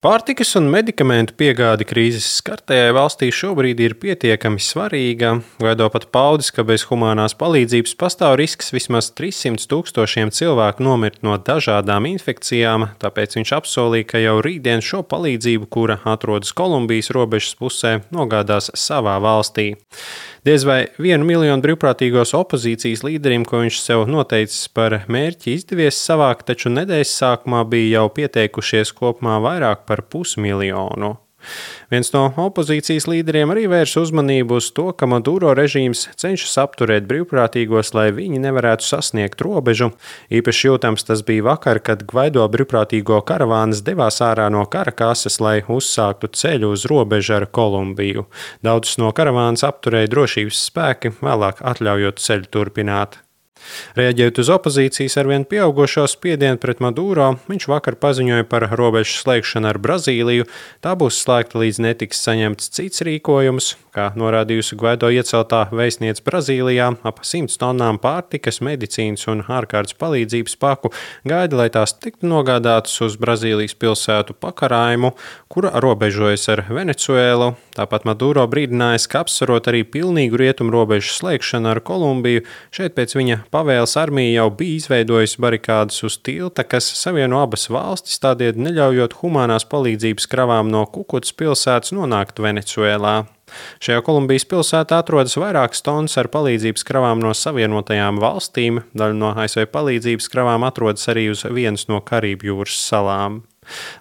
Pārtikas un medikamentu piegāde krīzes skartajai valstī šobrīd ir pietiekami svarīga. Gvaido pat paudis, ka bez humānās palīdzības pastāv risks vismaz 300 000 cilvēku nomirt no dažādām infekcijām, tāpēc viņš apsolīja, ka jau rītdien šo palīdzību, kura atrodas Kolumbijas robežas pusē, nogādās savā valstī. Diez vai 1 miljonu brīvprātīgos opozīcijas līderiem, ko viņš sev noteicis par mērķi, izdevies savākt, taču nedēļas sākumā bija jau pieteikušies kopumā vairāk par 500 000. Viens no opozīcijas līderiem arī vērs uzmanību uz to, ka Maduro režīms cenšas apturēt brīvprātīgos, lai viņi nevarētu sasniegt robežu. Īpaši jūtams tas bija vakar, kad Gvaido brīvprātīgo karavānas devās ārā no Karakasas, lai uzsāktu ceļu uz robežu ar Kolumbiju. Daudzus no karavānas apturēja drošības spēki, vēlāk atļaujot ceļu turpināt. Reaģējot uz opozīcijas arvien pieaugošo spiedienu pret Maduro, viņš vakar paziņoja par robežu slēgšanu ar Brazīliju. Tā būs slēgta, līdz netiks saņemts cits rīkojums. Kā norādījusi Gvaido ieceltā vēstniece Brazīlijā, ap 100 tonnām pārtikas, medicīnas un ārkārtas palīdzības paku gaida, lai tās tiktu nogādātas uz Brazīlijas pilsētu Pakaraimu, kura robežojas ar Venecuēlu. Tāpat Maduro brīdinājis, ka apsverot arī pilnīgu rietumu robežu slēgšanu ar Kolumbiju, šeit pēc viņa pavēles armija jau bija izveidojusi barikādas uz tilta, kas savieno abas valstis, tādēļ neļaujot humānās palīdzības kravām no Kukutas pilsētas nonākt Venecuēlā. Šajā Kolumbijas pilsētā atrodas vairākas tonnas ar palīdzības kravām no Savienotajām valstīm. Daļa no ASV palīdzības kravām atrodas arī uz vienas no Karību jūras salām.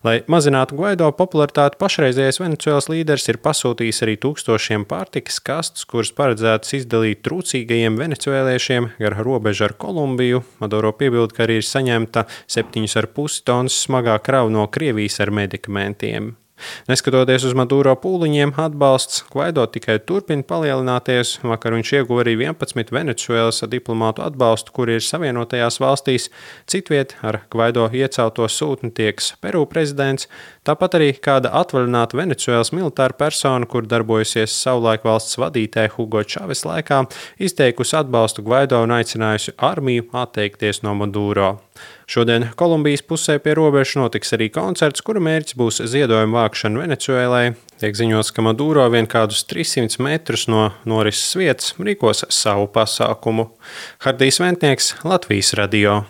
Lai mazinātu Gvaido popularitāti, pašreizējais Venecuēlas līderis ir pasūtījis arī tūkstošiem pārtikas kastes, kuras paredzētas izdalīt trūcīgajiem venecuēliešiem gar robežu ar Kolumbiju. Maduro piebilda, ka arī ir saņemta 7,5 tonnas smagā krava no Krievijas ar medikamentiem. Neskatoties uz Maduro pūliņiem, atbalsts Gvaido tikai turpina palielināties. Vakar viņš ieguva arī 11 Venecuēlas diplomātu atbalstu, kuri ir Savienotajās valstīs. Citviet ar Gvaido iecelto sūtni tieks Peru prezidents, tāpat arī kāda atvaļināta Venecuēlas militāra persona, kur darbojusies savulaik valsts vadītāja Hugo Čaves laikā, izteikusi atbalstu Gvaido un aicinājusi armiju atteikties no Maduro. Šodien Kolumbijas pusē pie robežas notiks arī koncerts, kura mērķis būs ziedojuma vākšana Venecuēlai. Tiek ziņots, ka Maduro vien kādus 300 metrus no norises vietas rīkos savu pasākumu. Hardijs Ventnieks, Latvijas radio.